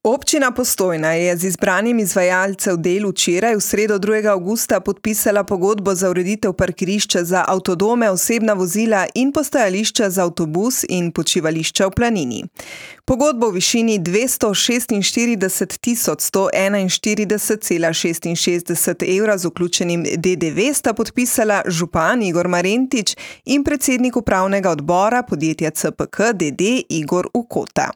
Občina Postojna je z izbranim izvajalcev del včeraj v sredo 2. avgusta podpisala pogodbo za ureditev parkirišča za avtodome, osebna vozila in postajališča za avtobus in počivališča v Planini. Pogodbo v višini 246.141,66 evra z vključenim DDV sta podpisala župan Igor Marentič in predsednik upravnega odbora podjetja CPK d.d. Igor Ukota.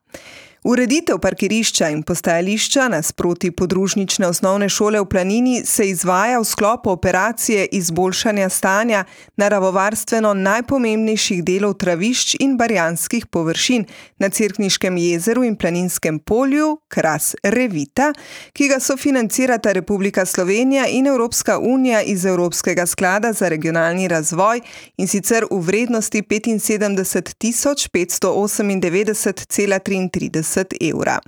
Ureditev parkirišča in postajališča nasproti podružnične osnovne šole v Planini se izvaja v sklopu operacije izboljšanja stanja naravovarstveno najpomembnejših delov travišč in barjanskih površin na Cerkniškem jezeru in Planinskem polju Kras Revita, ki ga sofinancirata Republika Slovenija in Evropska unija iz Evropskega sklada za regionalni razvoj, in sicer v vrednosti 75.598,33 evra.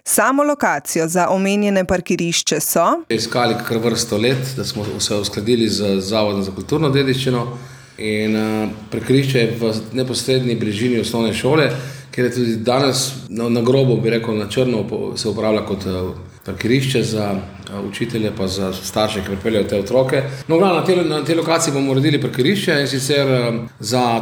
Samo lokacijo za omenjene parkirišče so iskali kar vrsto let, da smo se uskladili z Zavodom za kulturno dediščino, in parkirišče je v neposredni bližini osnovne šole, kjer je tudi danes na grobo, bi rekel, na črno se uporablja kot parkirišče za učitelje pa za starše, ki pripeljajo te otroke. No, na tej lokaciji bomo uredili parkirišče, in sicer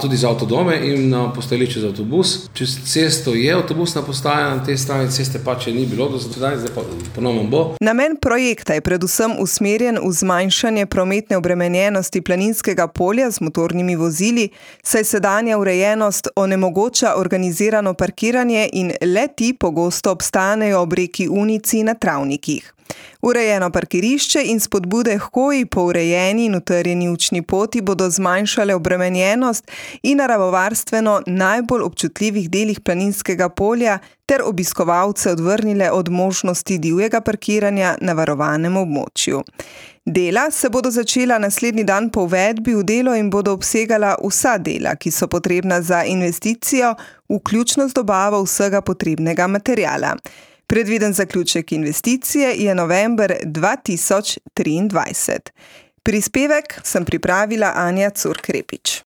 tudi za avtodome in postajališče za avtobus. Čez cesto je avtobusna postaja, na tej strani ceste pa če ni bilo do zdaj pa ponovno bo. Namen projekta je predvsem usmerjen v zmanjšanje prometne obremenjenosti Planinskega polja z motornimi vozili, saj sedanja urejenost onemogoča organizirano parkiranje in le-ti pogosto obstanejo ob reki Unici na travnikih. Urejeno parkirišče in spodbude h hoji po urejeni in utrjeni učni poti bodo zmanjšale obremenjenost in naravovarstveno najbolj občutljivih delih Planinskega polja ter obiskovalce odvrnile od možnosti divjega parkiranja na varovanem območju. Dela se bodo začela naslednji dan po uvedbi v delo in bodo obsegala vsa dela, ki so potrebna za investicijo, vključno z dobavo vsega potrebnega materiala. Predviden zaključek investicije je november 2023. Prispevek sem pripravila Anja Curk-Repič.